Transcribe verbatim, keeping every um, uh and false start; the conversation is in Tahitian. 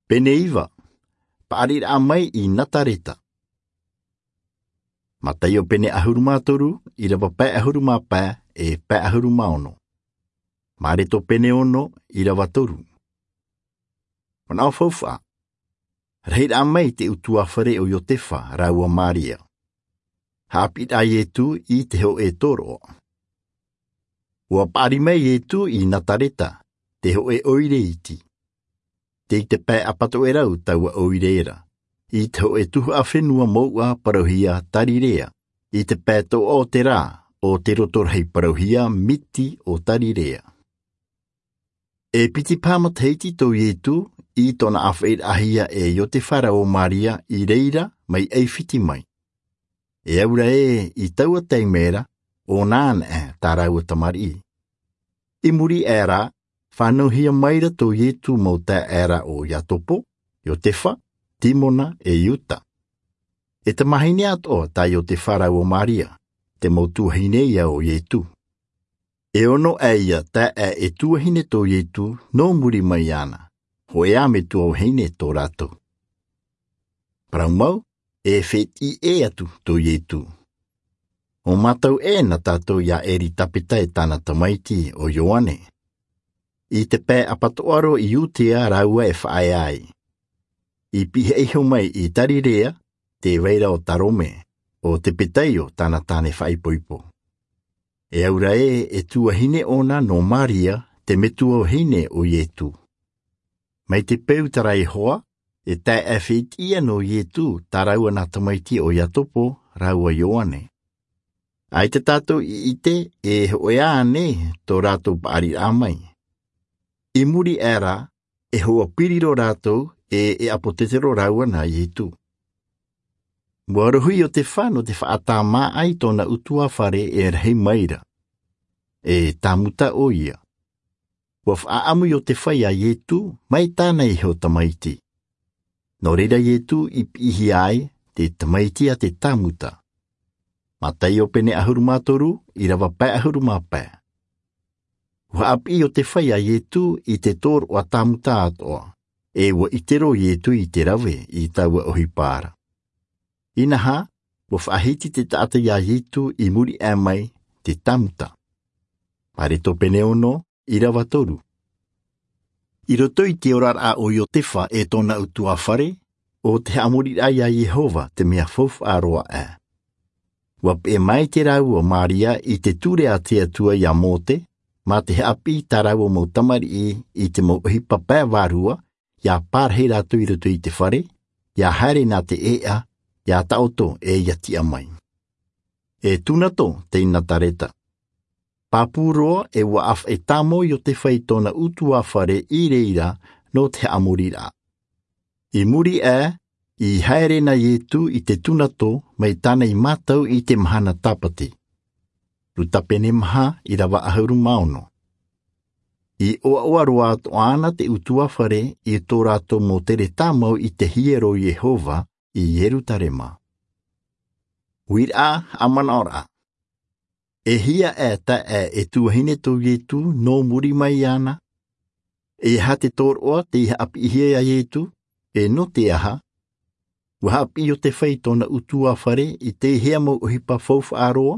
Pene iva. Paʻariraʻa mai i Nazareta. Mataio pene ʻahuru mā toru, ʻīrava pae ʻahuru mā pae, e pae ʻahuru mā ono. Mareko pene ono, ʻīrava toru. Manaʻo faufaʻa. Rahiraʻa mai te ʻutuāfare ʻo Iotefa rāua Maria. Haʻapiʻiraʻa a Ietu i te hōʻē tōroʻa. ʻUa paʻari mai Ietu i Nazareta, te hōʻē ʻoire iti. Tei te pae ʻapatoʻerau taua ʻoire ra, i te hōʻē tuhaʻa fenua mouʻa parauhia Tarirea, i te pae toʻa o te rā, ʻo te roto rahi parauhia Miti o Tarirea. E piti paha matahiti tō Ietu i tōna ʻāfaʻiraʻahia e Iotefa rāua Maria i reira mai ʻAifiti mai. E aura ē i taua taime ra, ʻo nānaʻe tā rāua tamariʻi. I muri aʻe rā, fānauhia maira tō Ietu mau taeaʻe ra ʻo Iakobo, Iotefa, Timona, e Iuta. E tamahine atoʻa tā Iotefa rāua Maria, te mau tuahine ia o Ietu. E ono aʻe ia taeaʻe e tuahine tō Ietu nō muri mai iāna, hōʻē ā metua vahine tō rātou. Parau mau, e fētiʻi ʻē atu tō Ietu. ʻO mātau ē nā tātou ia Eritapeta e tāna tamaiti ʻo Ioane. I te pae ʻapatoʻa roa i Iudea rāua e faʻaea ai. I pihaʻi iho mai i Tarirea, tē vai ra ʻo Tarome, ʻo Tepetaio tāna tāne faʻaipoipo. E aura ē, e tuahine ʻōna nō Maria, te metua vahine o Ietu. Mai te peu tā rā iho ā, e taeaʻe fētiʻi ia nō Ietu, tā rāua nā tamaiti ʻo Iakobo rāua Ioane. ʻAita tātou i ʻite, e hōʻē ānei tō rātou paʻariraʻa mai. I muri aʻe rā, e hoa piri roa rātou, e, e ʻāpōsetolo rāua nā Ietu. ʻUa rohi Iotefa nō te faʻatāmāʻa i tōna ʻutuāfare e rahi maira. E tāmuta ʻoia. ʻUa faʻaʻamu Iotefa ia Ietu, mai tāna iho tamaiti. Nō reira Ietu i piʻihia ai, te tamaiti a te tāmuta. Mataio pene ʻahuru mā toru, ʻīrava pae ʻahuru mā pae. ʻUa haʻapiʻi Iotefa ia Ietu i te tōroʻa tāmuta atoʻa, e ʻua ʻite roa Ietu i te rave i taua ʻohipa ra. Inaha, ʻua faʻahiti te taʻata ia Ietu i muri aʻe mai te tāmuta. Mareko pene ono, ʻīrava toru. I roto i te oraraʻa o Iotefa e tōna ʻutuāfare, ʻo te haʻamoriraʻa ia Iehova te mea faufaʻa roa aʻe. ʻUa peʻe maite rāua Maria i te ture a te Atua ia Mose, mā te haʻapiʻi i tā rāua mau tamariʻi i te mau ʻohipa pae vārua, ʻia pārahi rātou i roto i te fare, ʻia haere nā te ʻēʻa, ʻia taʻoto e ʻia tiʻa mai. E tūnato tei Nazareta. Pāpū roa e ʻua ʻāfaʻi tāmau Iotefa i tōna ʻutuāfare i reira nō te haʻamoriraʻa. I muri aʻe, i haere na Ietu i te tūnato mai tāna i mātau i te mahana Tāpati. Luka pene maha, ʻīrava ʻahuru mā ono. I ʻoaʻoa roa atoʻa ana te ʻutuāfare i tō rātou mau tere tāmau i te hiero o Iehova i Ierutarema. Uiraʻa, haʻamanaʻoraʻa. E hia aʻe taeaʻe e tuahine tō Ietu nō muri mai iāna? E aha te tōroʻa tei haʻapiʻihia ia Ietu, e nō te aha? ʻUa haʻapiʻi Iotefa i tōna ʻutuāfare i te hea mau ʻohipa faufaʻa roa,